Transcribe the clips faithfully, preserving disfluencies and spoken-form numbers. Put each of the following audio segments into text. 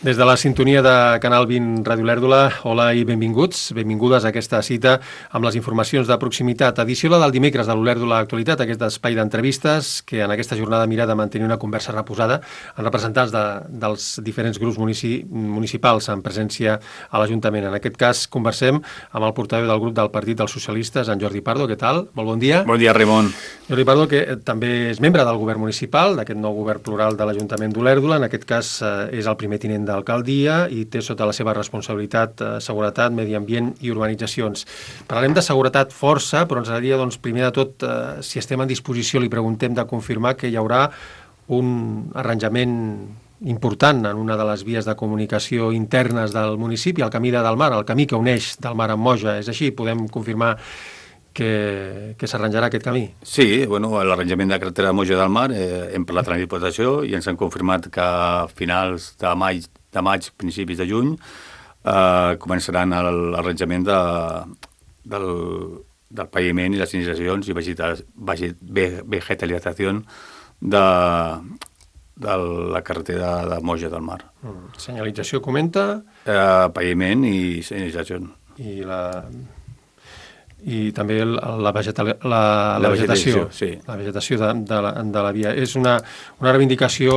Des de la sintonia de Canal vint Ràdio Olèrdola, hola i benvinguts, benvingudes a aquesta cita amb les informacions de proximitat. Edició la del dimecres de l'Olèrdola Actualitat, aquest espai d'entrevistes que en aquesta jornada mira de mantenir una conversa reposada amb representants de, dels diferents grups munici, municipals en presència a l'Ajuntament. En aquest cas conversem amb el portaveu del grup del Partit dels Socialistes, en Jordi Pardo. Què tal? Molt bon dia. Bon dia, Ramon. Jordi Pardo, que també és membre del govern municipal, d'aquest nou govern plural de l'Ajuntament d'Olèrdola. En aquest cas eh, és el primer tinent d'alcaldia i té sota la seva responsabilitat eh, seguretat, medi ambient i urbanitzacions. Parlarem de seguretat força, però ens agradaria, doncs, primer de tot, eh, si estem en disposició, li preguntem de confirmar que hi haurà un arranjament important en una de les vies de comunicació internes del municipi, el camí de Delmar, el camí que uneix Delmar amb Moja. És així? Podem confirmar que, que s'arranjarà aquest camí? Sí, bueno, l'arranjament de carretera de Moja del Mar, eh, hem parlat amb la Diputació i ens han confirmat que a finals de maig, de maig principis de juny, eh, començaran l'arranjament de, del, del paviment i les iniciacions i vegetalització de, de la carretera de Moja del Mar. Mm. Senyalització, comenta? Eh, paviment i iniciació. I la... i també la, vegetal, la, la, la vegetació, vegetació, sí. La vegetació de, de, la, de la via. És una, una reivindicació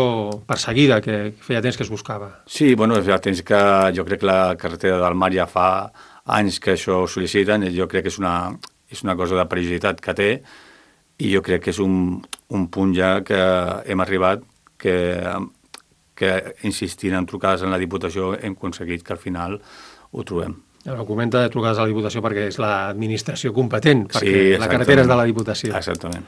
perseguida que feia temps que es buscava. Sí, bueno, ja temps que jo crec que la carretera del Mar ja fa anys que això ho sol·liciten, jo crec que és una, és una cosa de perillositat que té i jo crec que és un, un punt ja que hem arribat que, que insistint en trucades en la Diputació hem aconseguit que al final ho trobem. Ara, comenta de trucades a la Diputació perquè és l'administració competent, perquè sí, la carretera és de la Diputació. Exactament.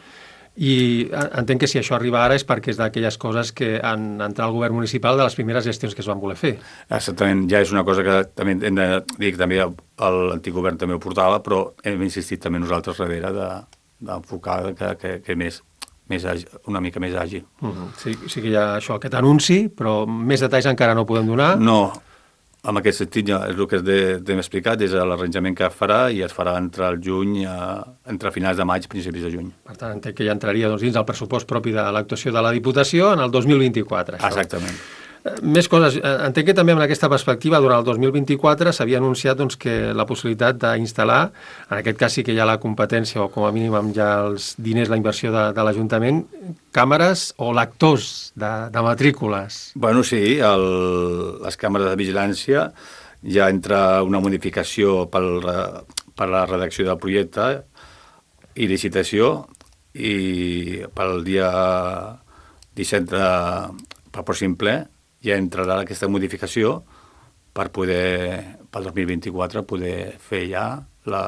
I entenc que si això arriba ara és perquè és d'aquelles coses que han entrat al govern municipal de les primeres gestions que es van voler fer. Exactament, ja és una cosa que també hem de dir que també l'antic govern també ho portava, però hem insistit també nosaltres darrere d'enfocar de, que, que, que més, més àgil, una mica més àgil. Uh-huh. Sí, sí que hi ha això, aquest anunci, però més detalls encara no podem donar. No. En aquest sentit, ja, és el que hem explicat, és l'arranjament que farà i es farà entre el juny, entre finals de maig, principis de juny. Per tant, entenc que ja entraria doncs, dins el pressupost propi de l'actuació de la Diputació en el dos mil vint-i-quatre. Això. Exactament. Més coses. Entenc que també en aquesta perspectiva, durant el dos mil vint-i-quatre, s'havia anunciat doncs, que la possibilitat d'instal·lar, en aquest cas sí que hi ha la competència, o com a mínim amb ja els diners, la inversió de, de l'Ajuntament, càmeres o lectors de, de matrícules. Bueno, sí, el, les càmeres de vigilància ja entra una modificació per, per la redacció del projecte i licitació i pel dia disset de, pel pròxim ple ja entrarà aquesta modificació per poder, pel dos mil vint-i-quatre, poder fer ja la,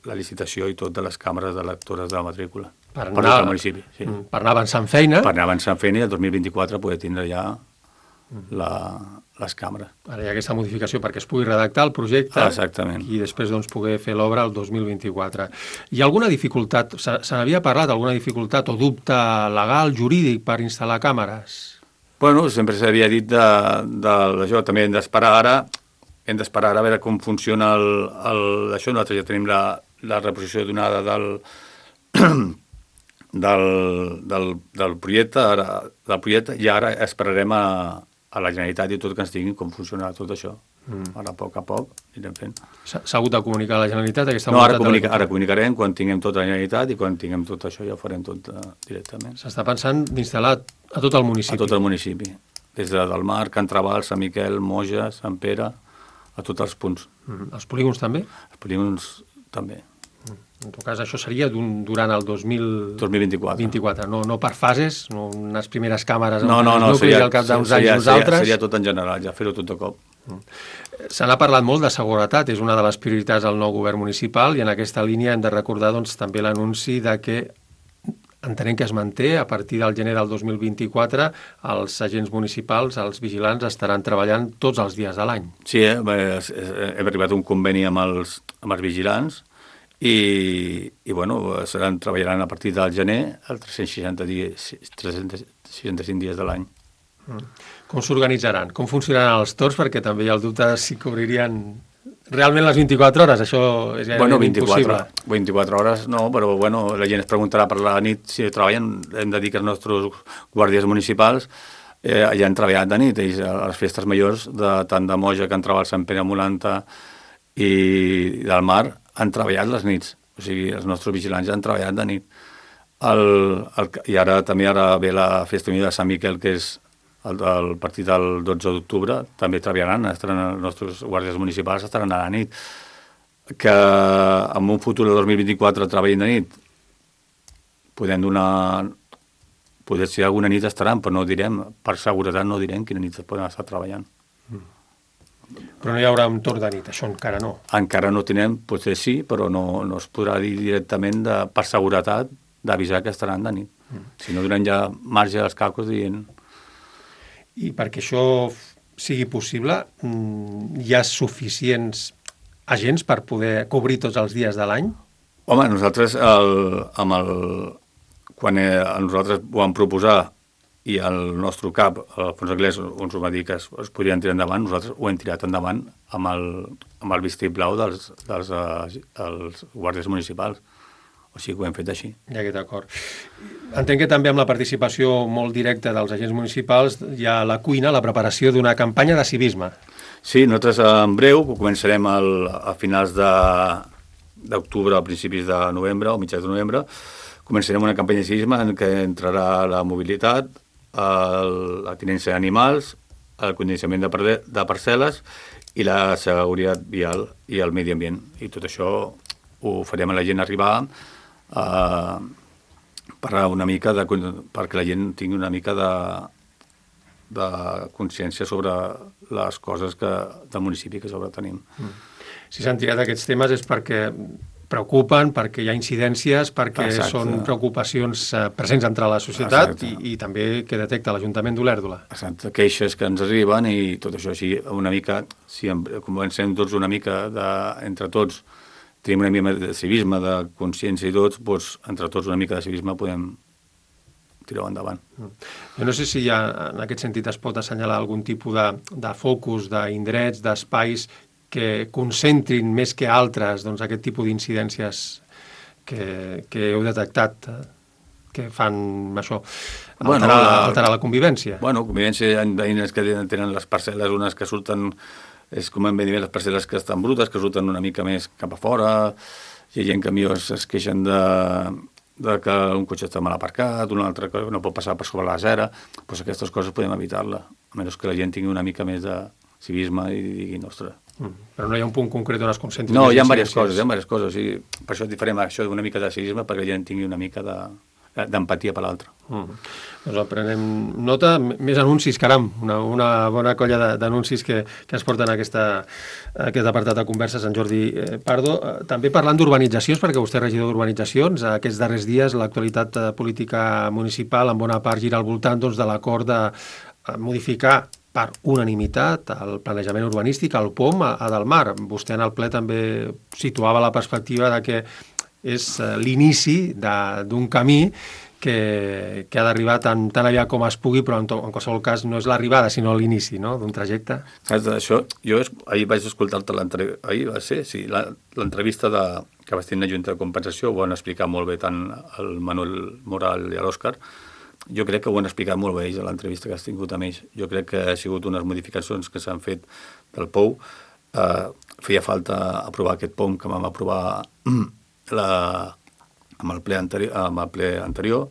la licitació i tot de les càmeres de lectores de la matrícula. Per anar, per, municipi, sí. per anar avançant feina. Per anar avançant feina i el dos mil vint-i-quatre poder tindre ja la, les càmeres. Ara hi ha aquesta modificació perquè es pugui redactar el projecte. Exactament. I després doncs, poder fer l'obra el dos mil vint-i-quatre. Hi ha alguna dificultat, se, se n'havia parlat, alguna dificultat o dubte legal, jurídic per instal·lar càmeres? Bueno, sempre s'havia dit de, de, d'això, també hem d'esperar ara, hem d'esperar ara a veure com funciona el, el, això. Nosaltres ja tenim la, la reposició donada del, del, del, del projecte, ara, del projecte, i ara esperarem a, a la Generalitat i tot que ens diguin com funcionarà tot això. Mm. Ara, a poc a poc, anirem fent. S'ha hagut de comunicar a la Generalitat? Aquesta no, ara, comunica, ara comunicarem quan tinguem tota la Generalitat i quan tinguem tot això ja ho farem tot uh, directament. S'està pensant d'instal·lar a tot el municipi? A tot el municipi. Des de Delmar, Can Trabal, Sant Miquel, Moja, Sant Pere, a tots els punts. Mm. Els polígons també? Els polígons també. Mm. En tot cas, això seria durant el dos mil vint-i-quatre. vint-i-quatre. No, no per fases, no unes primeres càmeres no, no, no, nuclis seria, al cap d'uns seria, anys nosaltres. Seria, seria tot en general, ja fer-ho tot de cop. Mm. Se n'ha parlat molt de seguretat, és una de les prioritats del nou govern municipal i en aquesta línia hem de recordar doncs, també l'anunci de que entenem que es manté a partir del gener del dos mil vint-i-quatre els agents municipals, els vigilants, estaran treballant tots els dies de l'any. Sí, eh? hem arribat a un conveni amb els, amb els vigilants i, i bueno, seran, treballaran a partir del gener els tres-cents seixanta dies, tres-cents seixanta-cinc dies de l'any. Mm. Com s'organitzaran? Com funcionaran els torns? Perquè també hi ha el dubte si cobrirían realment les vint-i-quatre hores, això és gairebé bueno, vint-i-quatre, impossible. vint-i-quatre hores no, però bueno, la gent es preguntarà per la nit si treballen, hem de dir que els nostres guàrdies municipals eh, ja han treballat de nit. Ells, a les festes majors, de, tant de Moja, que entrava al Sant Pere Molanta i del Mar, han treballat les nits. O sigui, els nostres vigilants ja han treballat de nit. El, el, I ara també ara ve la festa unida de Sant Miquel, que és el, el partit del dotze d'octubre, també treballaran, estaran, els nostres guàrdies municipals estaran a la nit. Que en un futur de dos mil vint-i-quatre treballin de nit, podem donar... Poder ser alguna nit estaran, però no direm, per seguretat no direm quina nit poden estar treballant. Mm. Però no hi haurà un torn de nit, això encara no. Encara no tenen, potser sí, però no, no es podrà dir directament de, per seguretat d'avisar que estaran de nit. Mm. Si no donen ja marge als calculs dient... I perquè això sigui possible, hi ha suficients agents per poder cobrir tots els dies de l'any? Home, nosaltres, el, amb el, quan eh, nosaltres ho vam proposar i el nostre cap, Alfonso Anglès, ens va dir que es, es podrien tirar endavant, nosaltres ho hem tirat endavant amb el, amb el vistiplau dels, dels uh, els guàrdies municipals. O sigui que ho hem fet així. Ja aquest acord. Entenc que també amb la participació molt directa dels agents municipals hi ha la cuina, la preparació d'una campanya de civisme. Sí, nosaltres en breu començarem el, a finals d'octubre, a principis de novembre o mitjans de novembre, començarem una campanya de civisme en què entrarà la mobilitat, el, la tinença d'animals, el condicionament de, par de parcel·les i la seguretat vial i el medi ambient. I tot això ho farem a la gent arribar a parlar una mica de, perquè la gent tingui una mica de, de consciència sobre les coses que, del municipi que sobre tenim. Mm. Si s'han tirat aquests temes és perquè preocupen, perquè hi ha incidències, perquè Exacte. Són preocupacions presents entre la societat i, i també que detecta l'Ajuntament d'Olèrdola. Exacte, queixes que ens arriben i tot això així una mica, si comencem tots una mica de, entre tots, tenim una mica de civisme, de consciència i tots, doncs entre tots una mica de civisme podem tirar-ho endavant. Jo no sé si ja en aquest sentit es pot assenyalar algun tipus de, de focus, d'indrets, d'espais que concentrin més que altres doncs, aquest tipus d'incidències que, que heu detectat, que fan això, alterar, bueno, la, alterar la convivència. Bueno, convivència, hi ha veïnes que tenen les parcel·les, unes que surten... És com hem dit, les parcel·les que estan brutes, que surten una mica més cap a fora, hi ha gent que millor es queixen de, de que un cotxe està mal aparcat, un altre que no pot passar per sobre la acera, doncs aquestes coses podem evitar-la, a menys que la gent tingui una mica més de civisme i digui, ostres. Mm, però no hi ha un punt concret on es concentri? No, hi ha diverses coses, hi ha diverses coses, i per això farem això d'una mica de civisme, perquè la gent tingui una mica de... d'empatia per l'altre. Mm. Doncs en prenem nota, més anuncis, caram, una, una bona colla d'anuncis que, que ens porten a, aquesta, a aquest apartat de converses en Jordi Pardo. També parlant d'urbanitzacions, perquè vostè és regidor d'urbanitzacions, aquests darrers dies l'actualitat política municipal en bona part gira al voltant doncs, de l'acord de modificar per unanimitat el planejament urbanístic, el P O M a, a Delmar. Vostè en el ple també situava la perspectiva de que és l'inici d'un camí que, que ha d'arribar tan, tan aviat com es pugui, però en, to, en qualsevol cas no és l'arribada, sinó l'inici, no?, d'un trajecte. Saps, això, jo es, ahir vaig escoltar-te l'entrevista, ahir va ser, sí, l'entrevista que vas tenir a la Junta de Compensació, ho van explicar molt bé tant el Manuel Moral i l'Òscar. Jo crec que ho han explicat molt bé ells a l'entrevista que has tingut amb ells. Jo crec que ha sigut unes modificacions que s'han fet del P O U. Eh, feia falta aprovar aquest P O M que vam aprovar La, amb, el ple anterior, amb el ple anterior,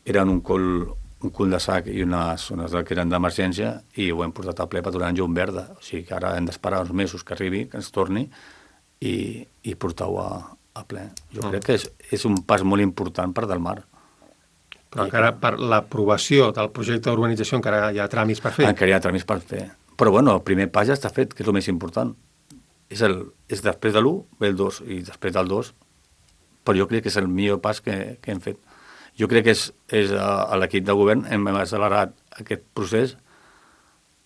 eren un cul, un cul de sac i unes zones que eren d'emergència i ho hem portat al ple per donar llum verda. O sigui que ara hem d'esperar uns mesos que arribi, que ens torni i, i portar-ho a, a ple. Jo mm. crec que és, és un pas molt important per Delmar. Però encara per l'aprovació del projecte d'urbanització encara hi ha tràmits per fer. Encara hi ha tràmits per fer. Però bueno, el primer pas ja està fet, que és el més important. És, el, és després de l'u ve el dos i després del dos, però jo crec que és el millor pas que, que hem fet. Jo crec que és, és a, a l'equip de govern hem accelerat aquest procés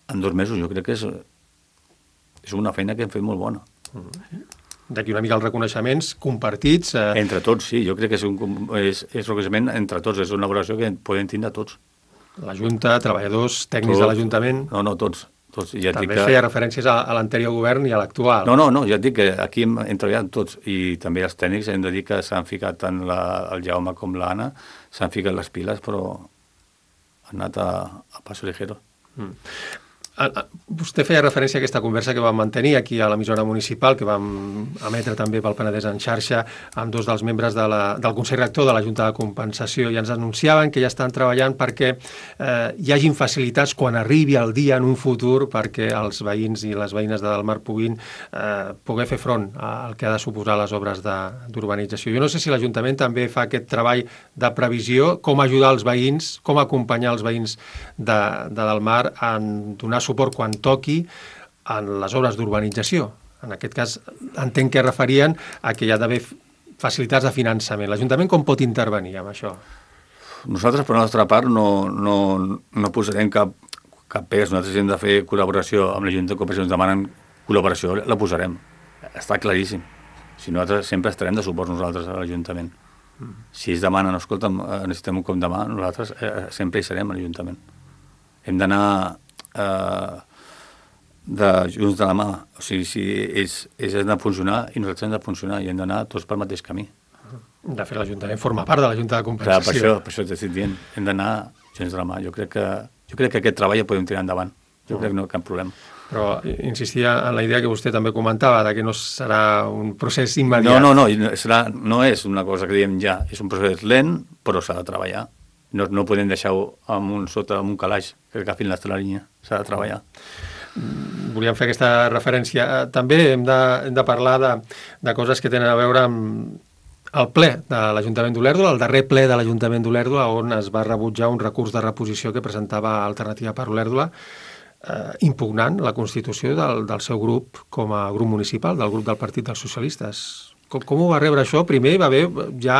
en dos mesos. Jo crec que és, és una feina que hem fet molt bona. Mm-hmm. D'aquí una mica els reconeixements compartits. Eh... Entre tots, sí. Jo crec que és un és, és reconeixement entre tots. És una valoració que podem tindre tots. La Junta, treballadors, tècnics tot, de l'Ajuntament... No, no, tots. tots. Ja també que... feia referències a, a l'anterior govern i a l'actual. No, no, no, ja et dic que aquí hem, hem treballat tots i també els tècnics hem de dir que s'han ficat tant la, el Jaume com l'Anna, s'han ficat les piles, però han anat a, a paso ligero. Mm. Vostè feia referència a aquesta conversa que vam mantenir aquí a l'emissora municipal, que vam emetre també pel Penedès en xarxa amb dos dels membres de la, del Consell Rector de la Junta de Compensació, i ens anunciaven que ja estan treballant perquè eh, hi hagin facilitats quan arribi el dia en un futur perquè els veïns i les veïnes de Delmar puguin eh, poder fer front al que ha de suposar les obres d'urbanització. Jo no sé si l'Ajuntament també fa aquest treball de previsió, com ajudar els veïns, com acompanyar els veïns de, de Delmar en donar suport quan toqui en les obres d'urbanització. En aquest cas, entenc que referien a que hi ha d'haver facilitats de finançament. L'Ajuntament com pot intervenir amb això? Nosaltres, per la nostra part, no, no, no posarem cap, cap pes. Nosaltres hem de fer col·laboració amb l'Ajuntament de Cooperació. Ens demanen col·laboració, la posarem. Està claríssim. Si nosaltres sempre estarem de suport nosaltres a l'Ajuntament. Mm. Si ells demanen, escolta'm, necessitem un cop de mà, nosaltres eh, sempre hi serem a l'Ajuntament. Hem d'anar eh, de junts de la mà. O sigui, si ells, ells han de funcionar i nosaltres hem de funcionar i hem d'anar tots pel mateix camí. De fet, l'Ajuntament forma part de la Junta de Compensació. Clar, per això, per això t'estic dient. Hem d'anar junts de la mà. Jo crec que, jo crec que aquest treball el podem tirar endavant. Jo mm. crec que no hi ha cap problema. Però insistia en la idea que vostè també comentava, de que no serà un procés immediat. No, no, no, serà, no és una cosa que diem ja. És un procés lent, però s'ha de treballar. No, no podem deixar-ho amb un, sota amb un calaix que agafin la línia. S'ha de treballar. Volíem fer aquesta referència. També hem de, hem de parlar de, de coses que tenen a veure amb el ple de l'Ajuntament d'Olèrdola, el darrer ple de l'Ajuntament d'Olèrdola, on es va rebutjar un recurs de reposició que presentava Alternativa per Olèrdola, eh, impugnant la constitució del, del seu grup com a grup municipal, del grup del Partit dels Socialistes. Com, com ho va rebre això? Primer hi va haver ja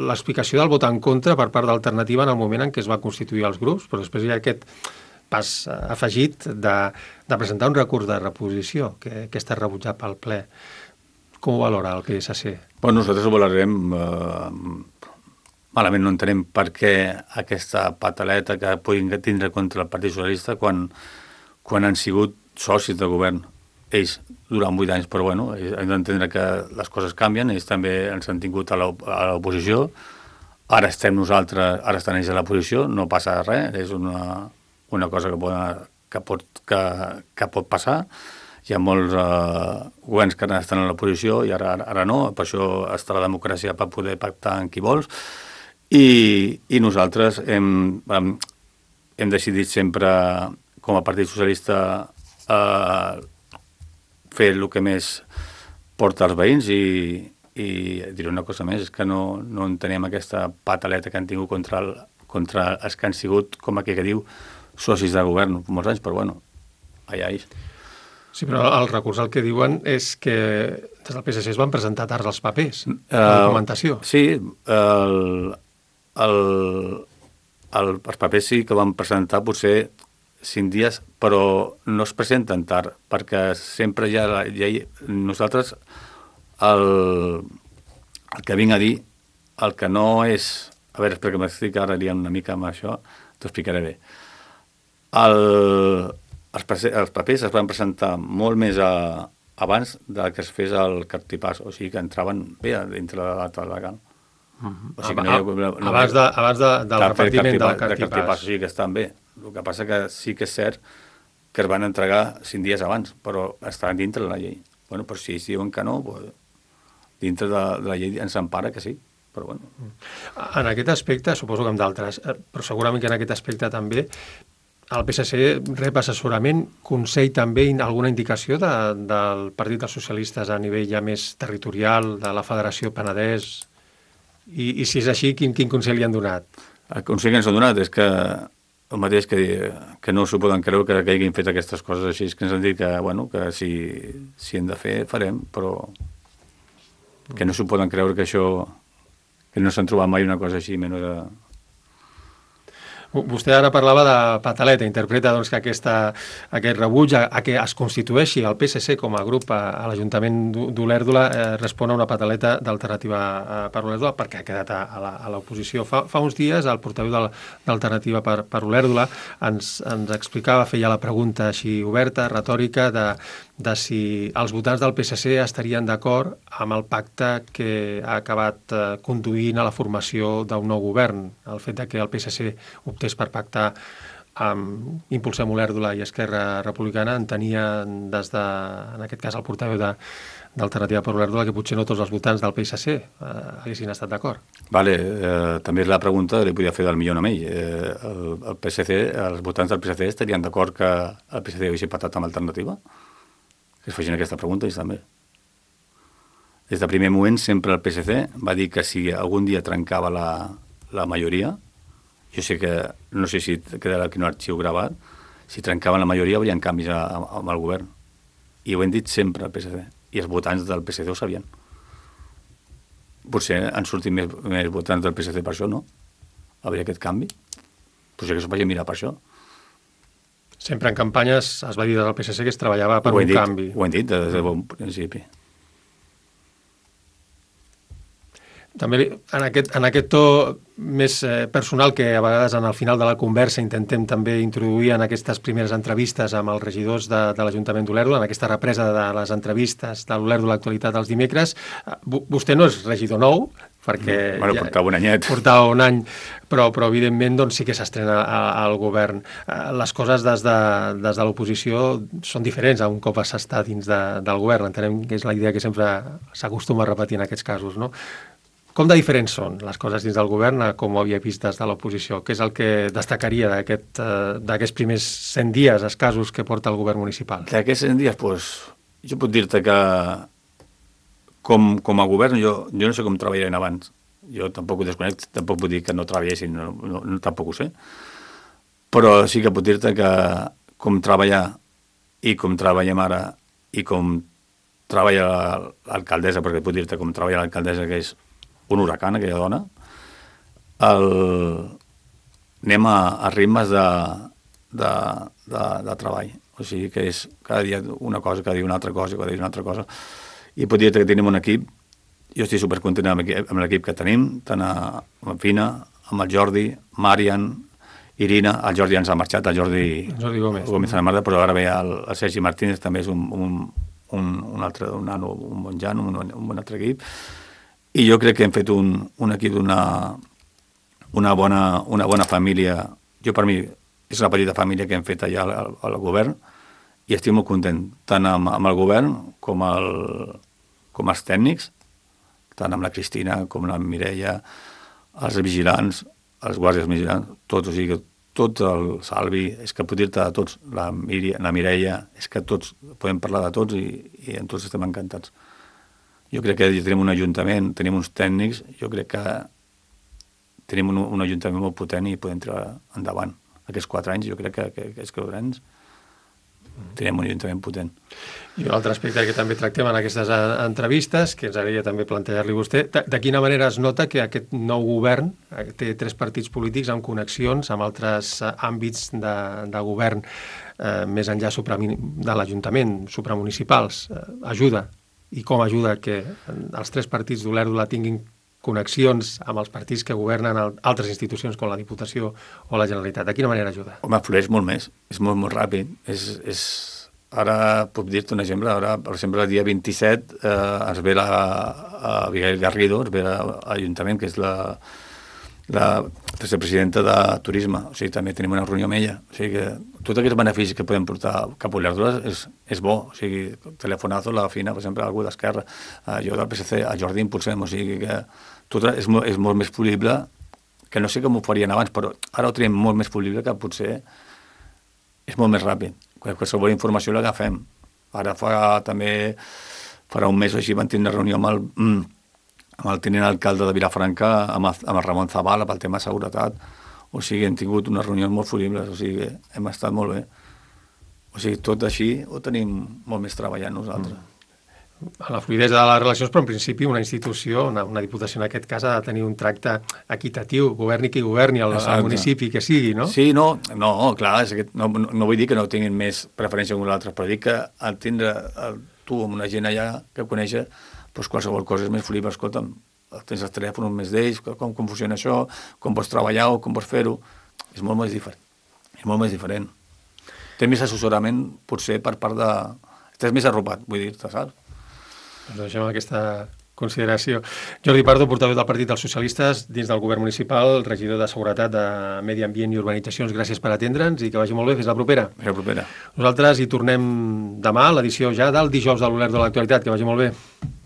l'explicació del vot en contra per part d'Alternativa en el moment en què es va constituir els grups, però després hi ha aquest pas afegit de, de presentar un recurs de reposició que, que està rebutjat pel ple. Com ho valora el P S C? Bueno, nosaltres ho valorem eh, malament. No entenem per què aquesta pataleta que puguin tindre contra el Partit Socialista quan, quan han sigut socis de govern. Ells durant vuit anys, però bueno, hem d'entendre que les coses canvien, ells també ens han tingut a l'oposició, ara estem nosaltres, ara estan ells a l'oposició, no passa res, és una, una cosa que pot, que, pot, que, que pot passar. Hi ha molts eh, governs que estan a l'oposició i ara, ara no, per això està la democràcia per poder pactar amb qui vols, i, i nosaltres hem, hem, hem decidit sempre, com a Partit Socialista, eh, fer el que més porta als veïns i, i diré una cosa més, és que no, no entenem aquesta pataleta que han tingut contra, el, contra els que han sigut, com aquí que diu, socis de govern molts anys, però bueno, allà ells. Sí, però el recurs el que diuen és que des del P S C es van presentar tard els papers, uh, la documentació. Sí, el, el, el, els papers sí que van presentar potser cinc dies, però no es presenten tard, perquè sempre hi ha la llei. Nosaltres, el, el que vinc a dir, el que no és... A veure, espera que m'estic ara liant una mica amb això, t'ho explicaré bé. El, els, els papers es van presentar molt més a, abans de que es fes el cartipàs, o sigui que entraven bé dintre de la data legal. Uh-huh. O sigui que no hi ha, no, abans, de, abans de, del repartiment del cartipàs. De cartipàs, o sigui que estan bé. El que passa que sí que és cert que es van entregar cinc dies abans, però estan dintre de la llei. Bueno, però si ells diuen que no, pues, dintre de, de la llei ens empara que sí, però bueno. En aquest aspecte, suposo que amb d'altres, però segurament que en aquest aspecte també, el P S C rep assessorament, consell també, alguna indicació de, del Partit dels Socialistes a nivell ja més territorial, de la Federació Penedès, i, i si és així, quin, quin consell li han donat? El consell que ens han donat és que el mateix que, que no s'ho poden creure que, que hagin fet aquestes coses així, que ens han dit que, bueno, que si, si hem de fer, farem, però que no s'ho poden creure que això, que no s'han trobat mai una cosa així, menys de... Vostè ara parlava de pataleta, interpreta doncs, que aquesta, aquest rebuig a, a que es constitueixi el P S C com a grup a, a l'Ajuntament d'Olèrdola eh, respon a una pataleta d'Alternativa per Olèrdola perquè ha quedat a, a l'oposició. Fa, fa uns dies el portaveu d'Alternativa per, per Olèrdola ens, ens explicava, feia la pregunta així oberta, retòrica, de, de si els votants del P S C estarien d'acord amb el pacte que ha acabat eh, conduint a la formació d'un nou govern. El fet de que el P S C optés per pactar amb Impulsem Olèrdola i Esquerra Republicana entenia des de, en aquest cas, el portaveu de d'Alternativa per Olèrdola, que potser no tots els votants del P S C eh, haguessin estat d'acord. Vale, eh, també és la pregunta que li podia fer del millor amb ell. Eh, el, el P S C, els votants del P S C estarien d'acord que el P S C hagués pactat amb Alternativa? Que es facin aquesta pregunta, ells també. Des del primer moment, sempre el P S C va dir que si algun dia trencava la, la majoria, jo sé que, no sé si quedarà aquí un arxiu gravat, si trencaven la majoria haurien canvis a, a, amb el govern. I ho hem dit sempre al P S C. I els votants del P S C ho sabien. Potser han sortit més, més votants del P S C per això, no? Hauria aquest canvi. Potser que s'ho vagi mirar per això. Sempre en campanyes es va dir del P S C que es treballava per un dit, canvi. Ho hem dit des del bon principi. També en aquest, en aquest to més eh, personal que a vegades en el final de la conversa intentem també introduir en aquestes primeres entrevistes amb els regidors de, de l'Ajuntament d'Olèrdola, en aquesta represa de les entrevistes de l'Olèrdola Actualitat dels dimecres. Vostè no és regidor nou, perquè no, bueno, ja portava un anyet. Portava un any, però, però evidentment doncs, sí que s'estrena al govern. Les coses des de, des de l'oposició són diferents a un cop s'està dins de, del govern. Entenem que és la idea que sempre s'acostuma a repetir en aquests casos, no? Com de diferents són les coses dins del govern com ho havia vist des de l'oposició? Què és el que destacaria d'aquests aquest, primers cent dies escassos que porta el govern municipal? D'aquests cent dies, doncs, jo puc dir-te que com, com a govern jo, jo no sé com treballarien abans. Jo tampoc ho desconec, tampoc puc dir que no treballessin, no, no, no, tampoc ho sé. Però sí que puc dir-te que com treballar i com treballem ara i com treballa l'alcaldessa, perquè puc dir-te com treballa l'alcaldessa, que és un huracan, aquella dona, el... anem a, a ritmes de, de, de, de treball. O sigui que és cada dia una cosa, cada dia una altra cosa, cada dia una altra cosa. I pot dir que tenim un equip, jo estic supercontent amb, amb l'equip que tenim, tant a, amb Fina, amb el Jordi, Marian, Irina, el Jordi ens ha marxat, el Jordi, Jordi Gómez, Gómez a la Marta, però ara ve el, el Sergi Martínez, també és un, un, un, un altre, un, nano, un bon jan, un, un bon altre equip. I jo crec que hem fet un, un equip d'una una bona, una bona família. Jo, per mi, és una petita família que hem fet allà al, al govern i estic molt content, tant amb, amb el govern com, el, com els tècnics, tant amb la Cristina com la Mireia, els vigilants, els guàrdies vigilants, tots, o sigui que tot el Salvi, és que puc dir-te de tots, la, Mireia, la Mireia, és que tots, podem parlar de tots i, i en tots estem encantats. Jo crec que tenim un ajuntament, tenim uns tècnics, jo crec que tenim un, un ajuntament molt potent i podem tirar endavant. Aquests quatre anys, jo crec que, que, que és que anys tenim un ajuntament potent. I un altre aspecte que també tractem en aquestes entrevistes, que ens agradaria també plantejar-li vostè, de, de quina manera es nota que aquest nou govern té tres partits polítics amb connexions amb altres àmbits de, de govern eh, més enllà supra, de l'Ajuntament, supramunicipals. Eh, ajuda i com ajuda que els tres partits d'Olèrdola tinguin connexions amb els partits que governen altres institucions com la Diputació o la Generalitat. De quina manera ajuda? Home, flueix molt més, és molt, molt ràpid. És, és... Ara puc dir-te un exemple, ara, per exemple, el dia vint-i-set eh, es ve la a Abigail Garrido, es ve a l'Ajuntament, que és la, la vicepresidenta de Turisme, o sigui, també tenim una reunió amb ella. O sigui que tots aquests beneficis que podem portar cap a Olèrdola és, és bo. O sigui, telefonazo, la Fina, per exemple, algú d'Esquerra, eh, jo del P S C, a Jordi Impulsem, o sigui que tot és, molt, és molt més polible, que no sé com ho farien abans, però ara ho tenim molt més polible, que potser és molt més ràpid. Qualsevol informació l'agafem. Ara fa també, farà un mes o així, van tenir una reunió amb el, amb el tinent alcalde de Vilafranca, amb el, amb el Ramon Zavala, pel tema de seguretat. O sigui, hem tingut unes reunions molt folibles, o sigui, hem estat molt bé. O sigui, tot així ho tenim molt més treballant nosaltres. Mm. A la fluidesa de les relacions, però en principi una institució, una, una diputació en aquest cas, ha de tenir un tracte equitatiu, governi qui governi, el, el municipi que sigui, no? Sí, no, no clar, és que no, no vull dir que no tinguin més preferència que nosaltres, però dic que al tindre el, tu amb una gent allà que coneixes, doncs qualsevol cosa és més folible. Escolta'm, tens els telèfons més d'ells, com, com funciona això, com pots treballar o com pots fer-ho. És molt més diferent. És molt més diferent. Té més assessorament, potser, per part de... estàs més arropat, vull dir-te, saps? Doncs deixem aquesta consideració. Jordi Pardo, portaveu del Partit dels Socialistes dins del govern municipal, regidor de Seguretat, de Medi Ambient i Urbanitzacions, gràcies per atendre'ns i que vagi molt bé. Fins la propera. Fins la propera. Nosaltres hi tornem demà, l'edició ja del dijous de l'Olèrdola de l'actualitat. Que vagi molt bé.